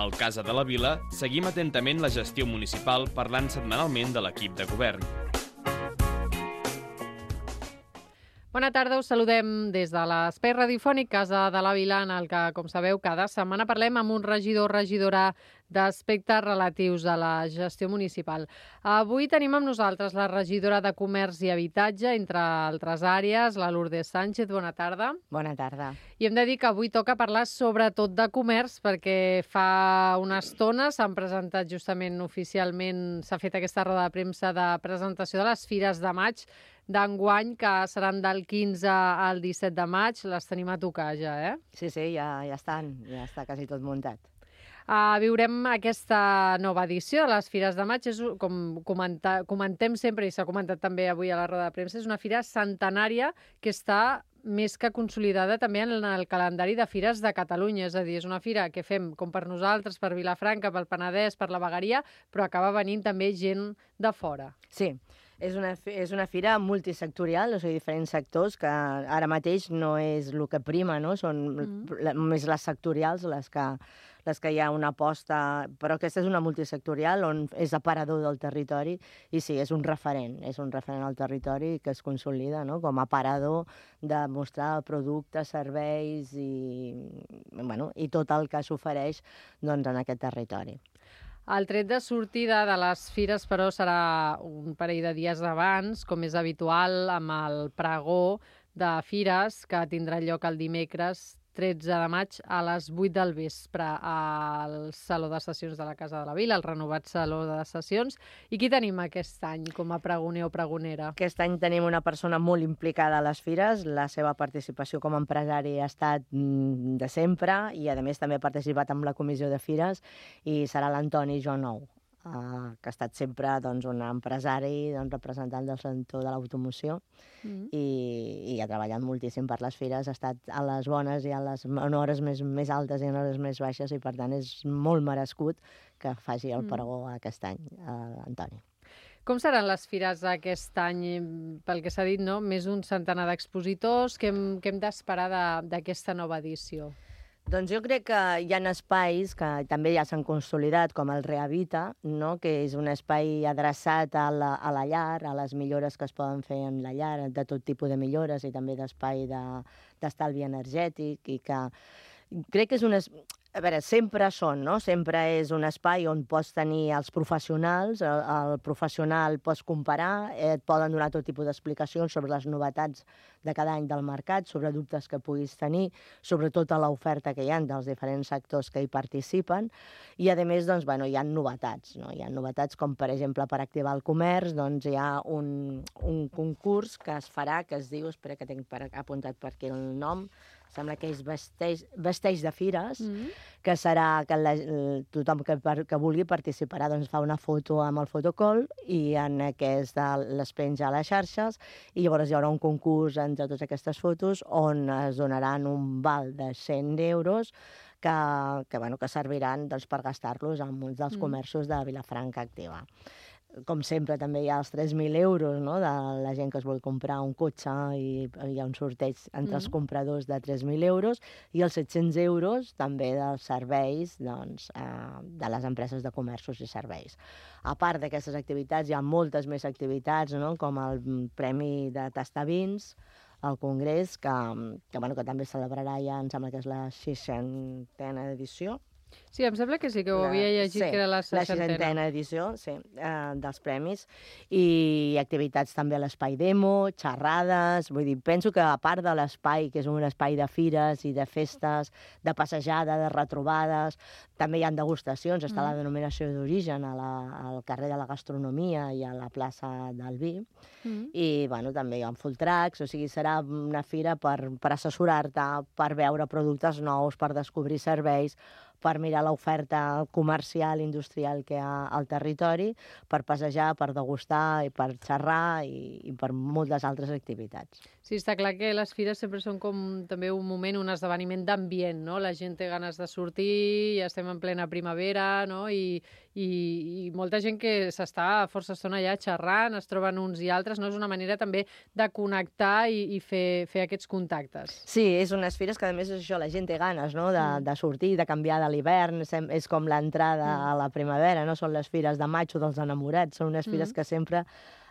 Al Casa de la Vila seguim atentament la gestió municipal parlant setmanalment de l'equip de govern. Bona tarda, us saludem des de l'espai radiofònic Casa de la Vila, en el que, com sabeu, cada setmana parlem amb un regidor o regidora d'aspectes relatius a la gestió municipal. Avui tenim amb nosaltres la regidora de Comerç i Habitatge, entre altres àrees, la Lourdes Sánchez. Bona tarda. Bona tarda. I hem de dir que avui toca parlar sobretot de comerç, perquè fa una estona s'han presentat justament oficialment, s'ha fet aquesta roda de premsa de presentació de les fires de maig d'enguany, que seran del 15 al 17 de maig. Les tenim a tocar ja, eh? Sí, ja està quasi tot muntat. Viurem aquesta nova edició de les Fires de Maig. Com comentem sempre, i s'ha comentat també avui a la roda de premsa, és una fira centenària que està més que consolidada també en el calendari de fires de Catalunya. És a dir, és una fira que fem com per nosaltres, per Vilafranca, pel Penedès, per la Vegueria, però acaba venint també gent de fora. Sí, és una fira multisectorial, o sigui, diferents sectors, que ara mateix no és el que prima, no? Són més les sectorials les que hi ha una aposta, però aquesta és una multisectorial on és aparador del territori i sí, és un referent al territori que es consolida, no? Com a aparador de mostrar productes, serveis i tot el que s'ofereix en aquest territori. El tret de sortida de les fires, però, serà un parell de dies abans, com és habitual, amb el pregó de fires, que tindrà lloc el dimecres 13 de maig a les 8 del vespre al Saló de Sessions de la Casa de la Vila, el renovat Saló de Sessions. I qui tenim aquest any com a pregoner o pregonera? Aquest any tenim una persona molt implicada a les fires. La seva participació com a empresari ha estat de sempre i, a més, també ha participat en la comissió de fires i serà l'Antoni Jonou, que ha estat sempre un empresari, representant del sector de l'automoció i ha treballat moltíssim per les fires, ha estat a les bones i en hores més altes i en hores més baixes i, per tant, és molt merescut que faci el pregó aquest any, Antoni. Com seran les fires aquest any? Pel que s'ha dit, no? Més d'un centenar d'expositors. Què hem d'esperar d'aquesta nova edició? Doncs jo crec que hi ha espais que també ja s'han consolidat, com el Rehabita, no? Que és un espai adreçat a la llar, a les millores que es poden fer en la llar, de tot tipus de millores i també d'espai d'estalvi energètic, i que crec que és a veure, sempre és un espai on pots tenir els professionals, el professional pots comparar, et poden donar tot tipus d'explicacions sobre les novetats de cada any del mercat, sobre dubtes que puguis tenir, sobre tota l'oferta que hi ha dels diferents sectors que hi participen, i a més hi ha novetats, no? Hi ha novetats com, per exemple, per activar el comerç, hi ha un concurs que es farà, que es diu, espera que tinc apuntat per aquí el nom, sembla que és Vesteix de Fires, que serà que tothom que vulgui participarà fa una foto amb el fotocol i en aquest les penja a les xarxes, i llavors hi haurà un concurs entre totes aquestes fotos on es donaran un val de 100 euros que serviran per gastar-los en molts dels comerços de Vilafranca Activa. Com sempre, també hi ha els 3.000 euros, no?, de la gent que es vol comprar un cotxe, i hi ha un sorteig entre els compradors de 3.000 euros, i els 700 euros també dels serveis de les empreses de comerços i serveis. A part d'aquestes activitats, hi ha moltes més activitats, no?, com el Premi de Tastar Vins, el Congrés, que també celebrarà ja, em sembla que és la 60a edició. Sí, em sembla que sí, que ho havia llegit, que era la 60a. La 60a edició, sí, dels premis, i activitats també a l'espai demo, xerrades, vull dir, penso que a part de l'espai, que és un espai de fires i de festes, de passejada, de retrobades, també hi ha degustacions, està la denominació d'origen al carrer de la Gastronomia i a la plaça del Vi, i també hi ha full tracks, o sigui, serà una fira per assessorar-te, per veure productes nous, per descobrir serveis, per mirar l'oferta comercial, industrial que hi ha al territori, per passejar, per degustar, i per xerrar, i per moltes altres activitats. Sí, està clar que les fires sempre són com també un moment, un esdeveniment d'ambient, no? La gent té ganes de sortir, ja estem en plena primavera, no? I molta gent que s'està força estona allà xerrant, es troben uns i altres, no? És una manera també de connectar i fer aquests contactes. Sí, és unes fires que, a més, és això, la gent té ganes, no?, de sortir, de canviar de l'hivern, és com l'entrada a la primavera, no? Són les fires de maig o dels enamorats, són unes fires que sempre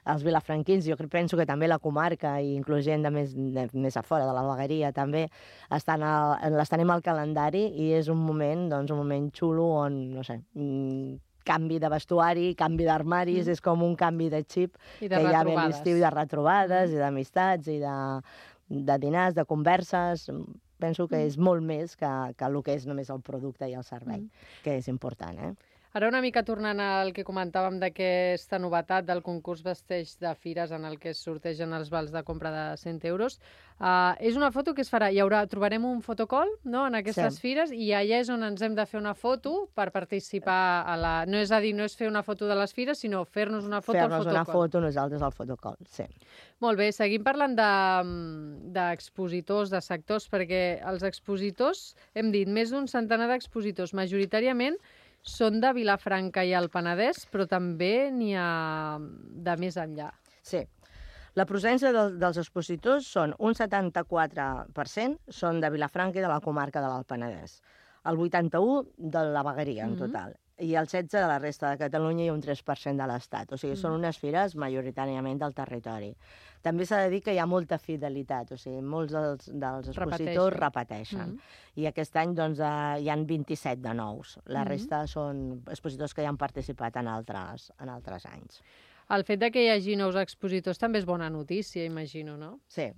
els vilafranquins, jo penso que també la comarca, i inclús gent de més a fora, de la vegueria també, les tenim al calendari i és un moment, doncs, un moment xulo on, no sé, canvi de vestuari, canvi d'armaris, és com un canvi de xip I que hi ha bé a l'estiu, de retrobades i d'amistats i de dinars, de converses. Penso que és molt més que el que és només el producte i el servei, que és important, eh? Ara una mica tornant al que comentàvem d'aquesta novetat del concurs Vesteix de Fires en el que es sortegen els vals de compra de 100 euros. És una foto que es farà, trobarem un fotocall, no?, en aquestes fires, i allà és on ens hem de fer una foto per participar a la... No és a dir, no és fer una foto de les fires, sinó fer-nos una foto al fotocall. Fer-nos una foto nosaltres al fotocall, sí. Molt bé, seguim parlant d'expositors, de sectors, perquè els expositors, hem dit, més d'un centenar d'expositors, majoritàriament són de Vilafranca i el Penedès, però també n'hi ha de més enllà. Sí. La procedència dels expositors són un 74% són de Vilafranca i de la comarca de l'Alt Penedès, el 81% de la vegueria en total, i el 16% de la resta de Catalunya i un 3% de l'Estat. O sigui, són unes fires majoritàriament del territori. També s'ha de dir que hi ha molta fidelitat, o sigui, molts dels expositors repeteixen. I aquest any doncs, hi han 27 de nous. La resta són expositors que ja han participat en altres anys. El fet de que hi hagi nous expositors també és bona notícia, imagino, no? Sí,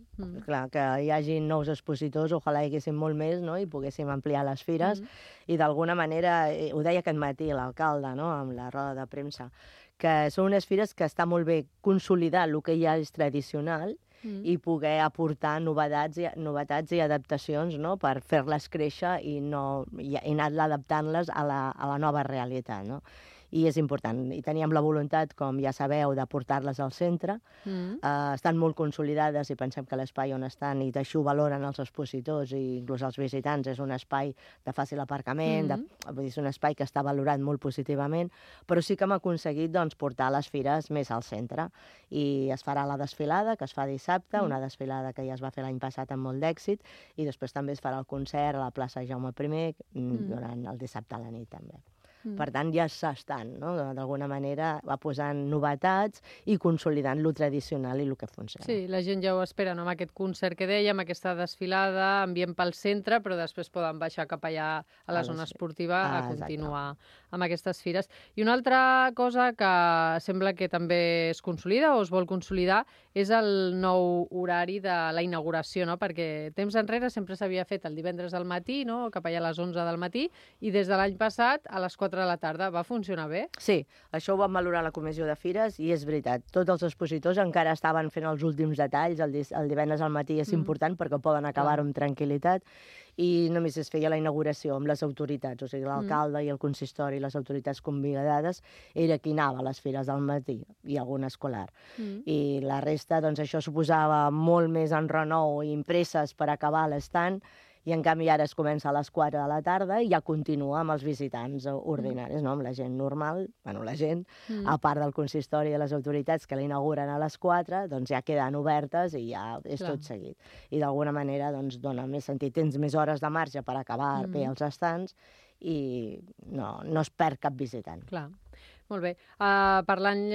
clar, que hi hagi nous expositors, ojalà hi haguéssim molt més, no?, i poguéssim ampliar les fires. I d'alguna manera, ho deia aquest matí l'alcalde, no?, amb la roda de premsa, que són unes fires que està molt bé consolidar el que ja és tradicional i poder aportar novetats i adaptacions, no?, per fer-les créixer i anar adaptant-les a la nova realitat, no? I és important. I teníem la voluntat, com ja sabeu, de portar-les al centre. Estan molt consolidades i pensem que l'espai on estan, i d'això ho valoren els expositors i inclús els visitants, és un espai de fàcil aparcament, és un espai que està valorat molt positivament, però sí que hem aconseguit portar les fires més al centre. I es farà la desfilada, que es fa dissabte, una desfilada que ja es va fer l'any passat amb molt d'èxit, i després també es farà el concert a la plaça Jaume I durant el dissabte a la nit també. Per tant, ja s'estan, no?, d'alguna manera, va posant novetats i consolidant lo tradicional i el que funciona. Sí, la gent ja ho espera, no?, amb aquest concert que dèiem, aquesta desfilada, ambient pel centre, però després poden baixar cap allà a la zona esportiva a continuar amb aquestes fires. I una altra cosa que sembla que també es consolida o es vol consolidar és el nou horari de la inauguració, no?, perquè temps enrere sempre s'havia fet el divendres al matí, no?, cap allà a les 11 del matí, i des de l'any passat a les 4 de la tarda. Va funcionar bé? Sí, això ho vam valorar la comissió de fires i és veritat. Tots els expositors encara estaven fent els últims detalls. El divendres al matí és important perquè poden acabar-ho amb tranquil·litat, i només es feia la inauguració amb les autoritats, o sigui, l'alcalde i el consistori i les autoritats convidades era qui anava a les fires del matí i algun escolar. I la resta, doncs, això suposava molt més enrenou i impreses per acabar l'estant, i en canvi ara es comença a les 4 de la tarda i ja continua amb els visitants ordinaris, no?, amb la gent normal, bueno, la gent, a part del consistori i de les autoritats que l'inauguren a les 4, doncs ja queden obertes i ja és tot seguit. I d'alguna manera doncs dona més sentit, tens més hores de marge per acabar bé els estants i no es perd cap visitant. Clar. Molt bé. Parlant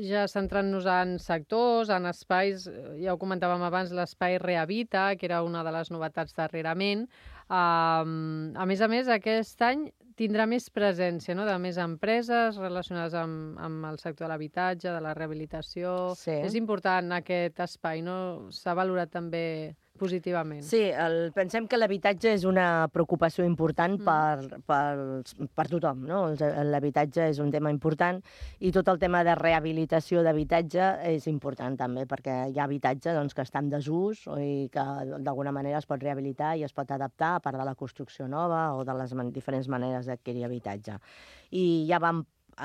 ja centrant-nos en sectors, en espais, ja ho comentàvem abans, l'espai Rehabita, que era una de les novetats darrerament. A més, aquest any tindrà més presència, no?, de més empreses relacionades amb el sector de l'habitatge, de la rehabilitació. Sí. És important aquest espai, no? S'ha valorat també positivament. Sí, pensem que l'habitatge és una preocupació important per tothom, no? L'habitatge és un tema important i tot el tema de rehabilitació d'habitatge és important també, perquè hi ha habitatge que està en desús i que d'alguna manera es pot rehabilitar i es pot adaptar a part de la construcció nova o de les diferents maneres d'adquirir habitatge. I ja vam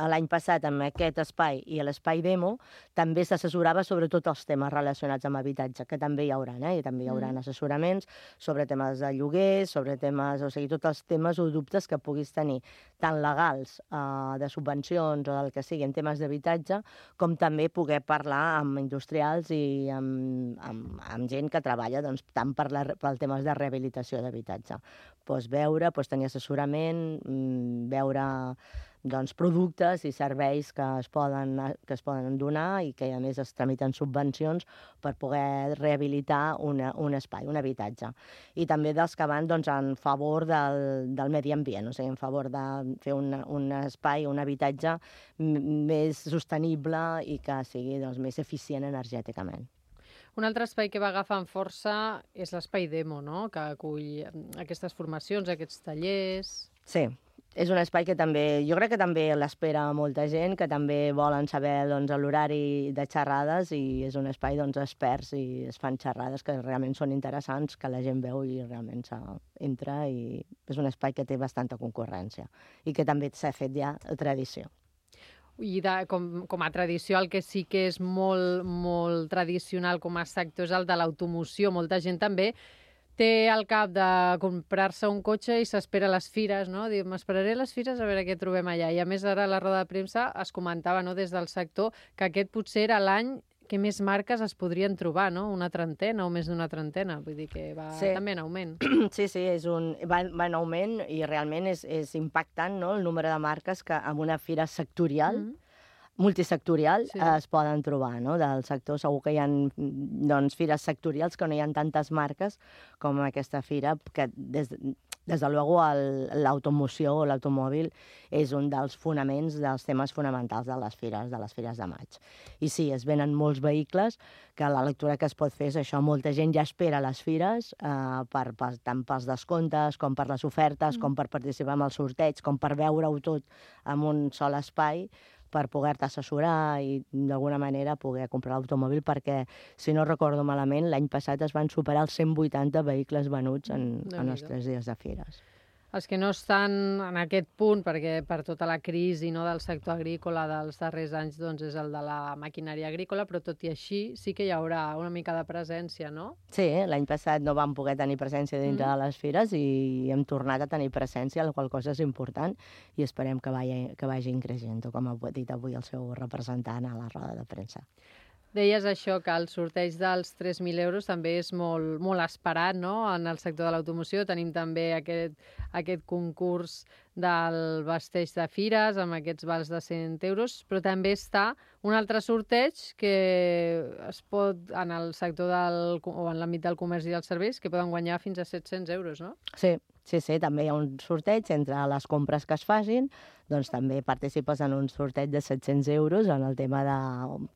l'any passat amb aquest espai i l'espai demo també s'assessorava sobre tots els temes relacionats amb habitatge, que també hi haurà, i també hi haurà assessoraments sobre temes de lloguers, sobre temes, o sigui, tots els temes o dubtes que puguis tenir, tant legals, de subvencions o del que sigui, en temes d'habitatge, com també poder parlar amb industrials i amb gent que treballa doncs, tant per temes de rehabilitació d'habitatge. Veure, tenir assessorament, veure doncs, productes i serveis que es poden donar i que a més es tramiten subvencions per poder rehabilitar un espai, un habitatge. I també dels que van doncs, en favor del medi ambient, o sigui, en favor de fer un espai, un habitatge més sostenible i que sigui doncs, més eficient energèticament. Un altre espai que va agafant força és l'espai demo, no? Que acull aquestes formacions, aquests tallers... Sí, és un espai que també, jo crec que també l'espera molta gent, que també volen saber doncs, l'horari de xerrades i és un espai doncs, experts i es fan xerrades que realment són interessants, que la gent veu i realment entra i és un espai que té bastanta concurrència i que també s'ha fet ja tradició. I com a tradició, el que sí que és molt tradicional com a sector és el de l'automoció. Molta gent també té al cap de comprar-se un cotxe i s'espera a les fires, no? Diu, m'esperaré a les fires a veure què trobem allà. I a més, ara a la roda de premsa es comentava des del sector que aquest potser era l'any que més marques es podrien trobar, no? Una trentena o més d'una trentena. Vull dir que va també en augment. Sí, va en augment i realment és impactant, no?, el número de marques que en una fira sectorial, multisectorial, es poden trobar, no? Del sector segur que hi ha doncs, fires sectorials que no hi ha tantes marques com aquesta fira, que des de luego l'automoció o l'automòbil és un dels fonaments, dels temes fonamentals de les fires de maig. I sí, es venen molts vehicles, que la lectura que es pot fer és això, molta gent ja espera a les fires, tant pels descomptes, com per les ofertes, com per participar en el sorteig, com per veure-ho tot en un sol espai, per poder-te assessorar i d'alguna manera poder comprar l'automòbil, perquè, si no recordo malament, l'any passat es van superar els 180 vehicles venuts en els 3 dies de fires. Els que no estan en aquest punt, perquè per tota la crisi del sector agrícola dels darrers anys doncs és el de la maquinària agrícola, però tot i així sí que hi haurà una mica de presència, no? Sí, l'any passat no vam poder tenir presència dintre de les fires i hem tornat a tenir presència, la qual cosa és important i esperem que vagi creixent, com ha dit avui el seu representant a la roda de premsa. Deies això, que el sorteig dels 3.000 euros també és molt esperat, no?, en el sector de l'automoció. Tenim també aquest concurs del vesteix de fires, amb aquests vals de 100 euros, però també està un altre sorteig que es pot, en el sector o en l'àmbit del comerç i dels serveis, que poden guanyar fins a 700 euros, no? Sí, també hi ha un sorteig entre les compres que es facin, doncs també participes en un sorteig de 700 euros en el tema de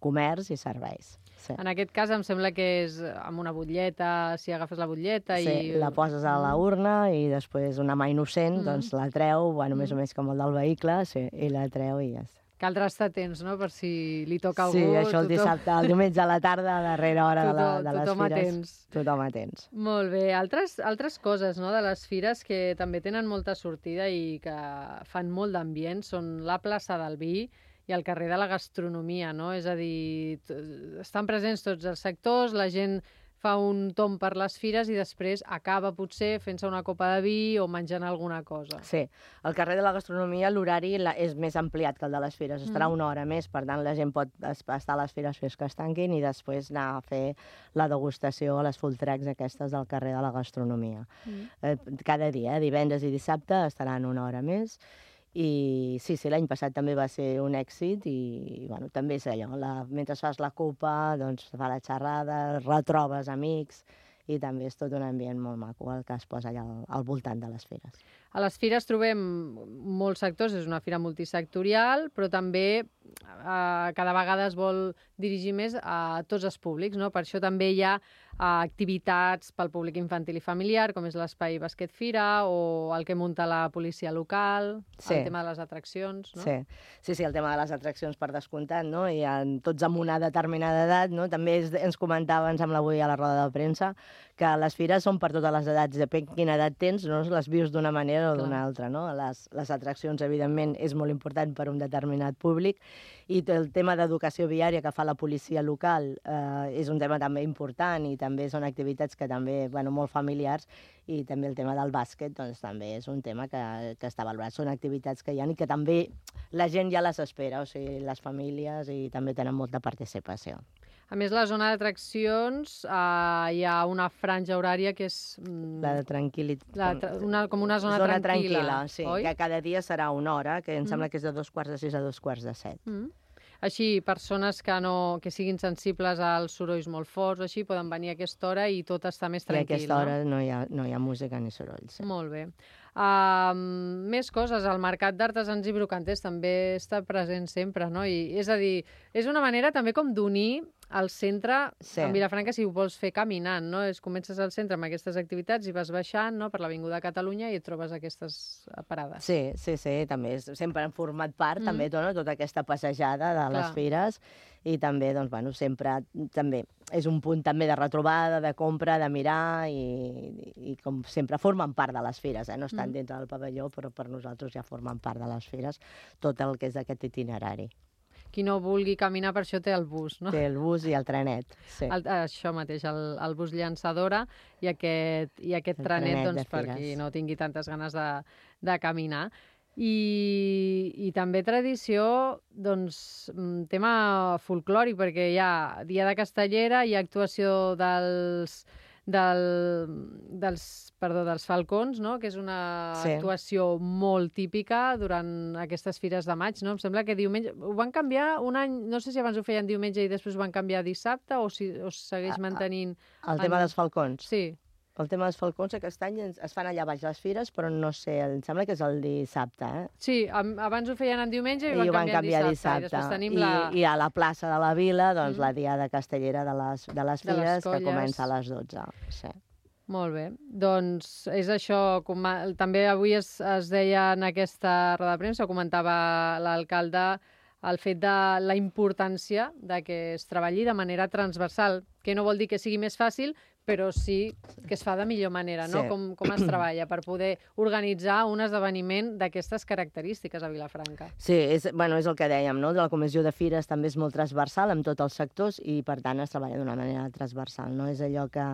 comerç i serveis. Sí. En aquest cas em sembla que és amb una butlleta, si agafes la butlleta i... Sí, la poses a la urna i després una mà innocent doncs la treu, més o menys com el del vehicle, i la treu i ja està. Caldrà estar atents, no?, per si li toca a algú. Sí, això el dissabte, el diumenge a la tarda, a darrera hora de les fires. Tothom atents. Molt bé. Altres coses, no?, de les fires que també tenen molta sortida i que fan molt d'ambient són la plaça del Vi i el carrer de la gastronomia, no? És a dir, estan presents tots els sectors, la gent fa un tomb per les fires i després acaba potser fent-se una copa de vi o menjant alguna cosa. Sí, al carrer de la gastronomia l'horari és més ampliat que el de les fires, estarà una hora més, per tant la gent pot estar a les fires fins que es tanquin i després anar a fer la degustació a les full tracks aquestes del carrer de la gastronomia. Cada dia, divendres i dissabte, estaran una hora més. I sí, l'any passat també va ser un èxit i també és allò, mentre fas la copa, doncs fa la xerrada, retrobes amics i també és tot un ambient molt maco el que es posa allà al voltant de les fires. A les fires trobem molts sectors, és una fira multisectorial, però també cada vegada es vol dirigir més a tots els públics, no? Per això també hi ha activitats pel públic infantil i familiar, com és l'espai Basquet Fira o el que munta la policia local, el tema de les atraccions, no? Sí, el tema de les atraccions per descomptat, no? I tots amb una determinada edat, no? També ens comentava, em sembla avui a la roda de premsa, que les fires són per totes les edats, depèn quina edat tens, no les vius d'una manera o d'una altra, no? Les atraccions, evidentment, és molt important per un determinat públic, i el tema d'educació viària que fa la policia local és un tema també important, i també són activitats que també, molt familiars, i també el tema del bàsquet, doncs també és un tema que està valorat. Són activitats que hi ha i que també la gent ja les espera, o sigui, les famílies, i també tenen molta participació. A més, la zona d'atraccions hi ha una franja horària que és... La de tranquil·litat. Com una zona tranquil·la, sí, oi? Que cada dia serà una hora, que em sembla que és de 2:45 a 2:45. Així, persones que siguin sensibles als sorolls molt forts, així, poden venir a aquesta hora i tot està més tranquil, no? I a aquesta hora no hi ha música ni sorolls. Molt bé. Més coses, el mercat d'artesans i brocanters també està present sempre, no? És a dir, és una manera també com d'unir el centre en Vilafranca, si ho vols fer caminant, no? Comences al centre amb aquestes activitats i vas baixant, no?, per l'Avinguda Catalunya i et trobes aquestes parades. Sí, també sempre han format part també tota aquesta passejada de les fires, i també, sempre també és un punt també de retrobada, de compra, de mirar, i com sempre formen part de les fires, no estan dintre del pavelló, però per nosaltres ja formen part de les fires, tot el que és aquest itinerari. Qui no vulgui caminar, per això té el bus, no? Té el bus i el trenet, sí. Això mateix, el bus llançadora i aquest trenet, doncs, per qui no tingui tantes ganes de caminar. I també tradició, doncs, tema folclòric, perquè hi ha Dia de Castellera, hi ha actuació dels falcons, no?, que és una actuació molt típica durant aquestes fires de maig, no? Em sembla que diumenge... Ho van canviar un any, no sé si abans ho feien diumenge i després ho van canviar a dissabte, o si segueix mantenint... El tema dels falcons? Sí. El tema dels falcons aquest any es fan allà baix les fires, però no sé, em sembla que és el dissabte, Sí, abans ho feien en diumenge i ho van canviar a dissabte. I després tenim I a la plaça de la Vila, doncs, la Diada Castellera de les fires, que comença a les 12. Sí. Molt bé. Doncs és això. També avui es deia en aquesta roda de premsa, comentava l'alcalde, el fet de la importància de que es treballi de manera transversal, que no vol dir que sigui més fàcil, però sí que es fa de millor manera, no? Com es treballa per poder organitzar un esdeveniment d'aquestes característiques a Vilafranca. Sí, és el que dèiem, no? La comissió de fires també és molt transversal amb tots els sectors i, per tant, es treballa d'una manera transversal, no? És allò que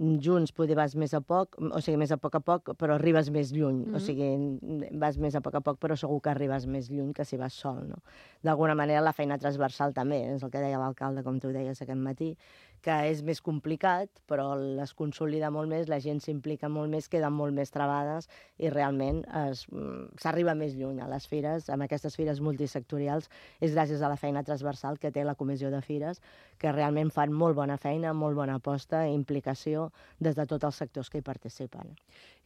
junts poder vas més a poc, o sigui, més a poc, però arribes més lluny. O sigui, vas més a poc, però segur que arribes més lluny que si vas sol, no? D'alguna manera, la feina transversal també, és el que deia l'alcalde, com tu deies aquest matí, que és més complicat, però es consolida molt més, la gent s'implica molt més, queden molt més trebades i realment s'arriba més lluny a les fires, amb aquestes fires multisectorials, és gràcies a la feina transversal que té la comissió de fires, que realment fan molt bona feina, molt bona aposta i implicació des de tots els sectors que hi participen.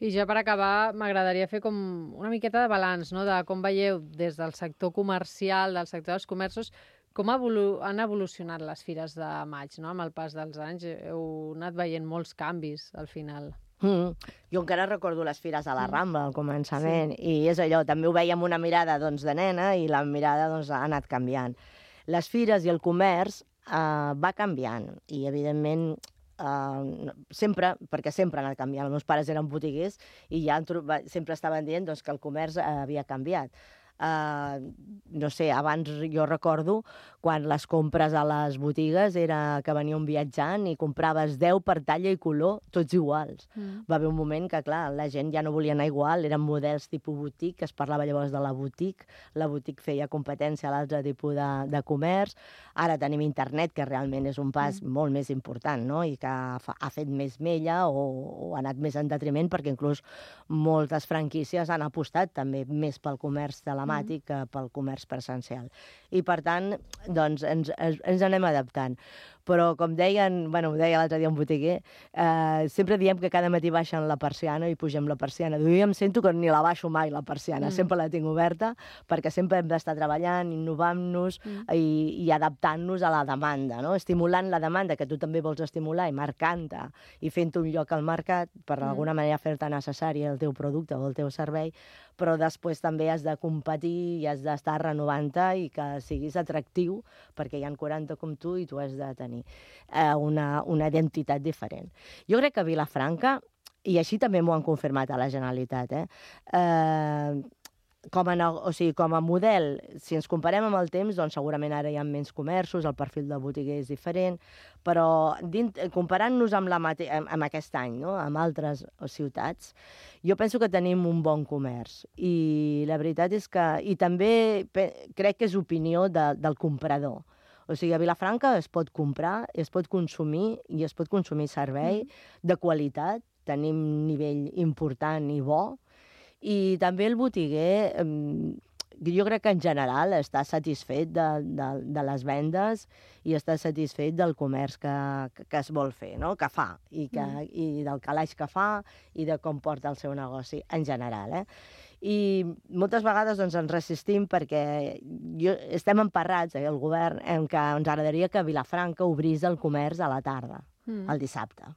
I ja per acabar, m'agradaria fer com una miqueta de balanç, no?, de com veieu des del sector comercial, del sector dels comerços, com han evolucionat les fires de maig, no?, amb el pas dels anys. Heu anat veient molts canvis, al final. Jo encara recordo les fires a la Rambla, al començament, i és allò, també ho veia amb una mirada de nena, i la mirada ha anat canviant. Les fires i el comerç va canviant, i evidentment perquè sempre ha anat canviant. Els meus pares eren botiguers i ja sempre estaven dient que el comerç havia canviat. No sé, abans jo recordo quan les compres a les botigues era que venia un viatjant i compraves 10 per talla i color, tots iguals. Va haver un moment que, clar, la gent ja no volia anar igual, eren models tipus boutique, es parlava llavors de la boutique feia competència a l'altre tipus de comerç. Ara tenim internet, que realment és un pas molt més important, no?, i que ha fet més mella o ha anat més en detriment, perquè inclús moltes franquícies han apostat també més pel comerç de la emblemàtic pel comerç presencial. I, per tant, doncs, ens anem adaptant. Però, com deien, ho deia l'altre dia un botiguer, sempre diem que cada matí baixen la persiana i pugem la persiana. Jo em sento que ni la baixo mai, la persiana. Sempre la tinc oberta, perquè sempre hem d'estar treballant, innovant-nos i adaptant-nos a la demanda, no? Estimulant la demanda, que tu també vols estimular, i marcant-te, i fent un lloc al mercat, per d'alguna manera fer-te necessari el teu producte o el teu servei, però després també has de competir i has d'estar renovant-te i que siguis atractiu, perquè hi ha 40 com tu i tu has de tenir una identitat diferent. Jo crec que a Vilafranca, i així també m'ho han confirmat a la Generalitat, com a model, si ens comparem amb el temps, doncs segurament ara hi ha menys comerços, el perfil del botiguer és diferent, però comparant-nos amb aquest any, no? Amb altres ciutats, jo penso que tenim un bon comerç. I la veritat és que... I també crec que és opinió del comprador. O sigui, a Vilafranca es pot comprar, es pot consumir i es pot consumir servei de qualitat, tenim nivell important i bo, i també el botiguer, jo crec que en general està satisfet de les vendes i està satisfet del comerç que es vol fer, no? Que fa, i del calaix que fa i de com porta el seu negoci en general. I moltes vegades ens resistim perquè estem emparrats, el govern, en què ens agradaria que Vilafranca obrís el comerç a la tarda, el dissabte.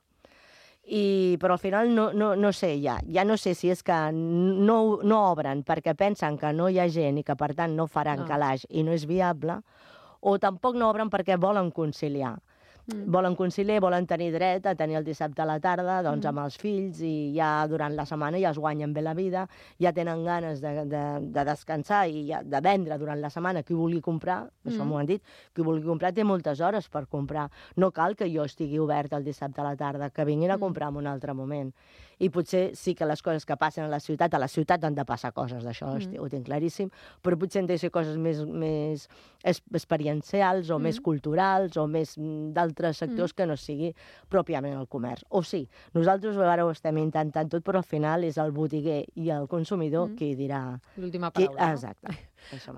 Però al final no sé, ja no sé si és que no obren perquè pensen que no hi ha gent i que per tant no faran calaix i no és viable, o tampoc no obren perquè volen conciliar. Volen conciliar, volen tenir dret a tenir el dissabte a la tarda doncs, amb els fills, i ja durant la setmana ja es guanyen bé la vida, ja tenen ganes de descansar i de vendre durant la setmana. Qui vulgui comprar, això m'ho han dit, qui vulgui comprar té moltes hores per comprar. No cal que jo estigui obert el dissabte a la tarda, que vinguin a comprar en un altre moment. I potser sí que les coses que passen a la ciutat han de passar coses d'això, ho tinc claríssim, però potser han de ser coses més experiencials o més culturals o més d'altres sectors que no sigui pròpiament el comerç. O sí, nosaltres ara ho estem intentant tot, però al final és el botiguer i el consumidor qui dirà... L'última paraula, no? Exacte.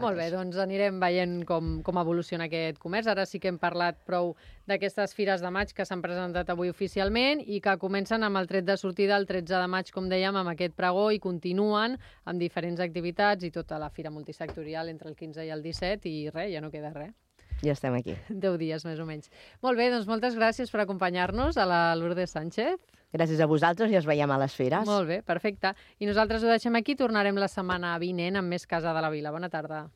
Molt bé, doncs anirem veient com evoluciona aquest comerç. Ara sí que hem parlat prou d'aquestes fires de maig que s'han presentat avui oficialment i que comencen amb el tret de sortida el 13 de maig, com dèiem, amb aquest pregó, i continuen amb diferents activitats i tota la fira multisectorial entre el 15 i el 17, i res, ja no queda res. Ja estem aquí. 10 dies, més o menys. Molt bé, doncs moltes gràcies per acompanyar-nos, a la Lourdes Sánchez. Gràcies a vosaltres i ens veiem a les fires. Molt bé, perfecte. I nosaltres ho deixem aquí, tornarem la setmana vinent amb més Casa de la Vila. Bona tarda.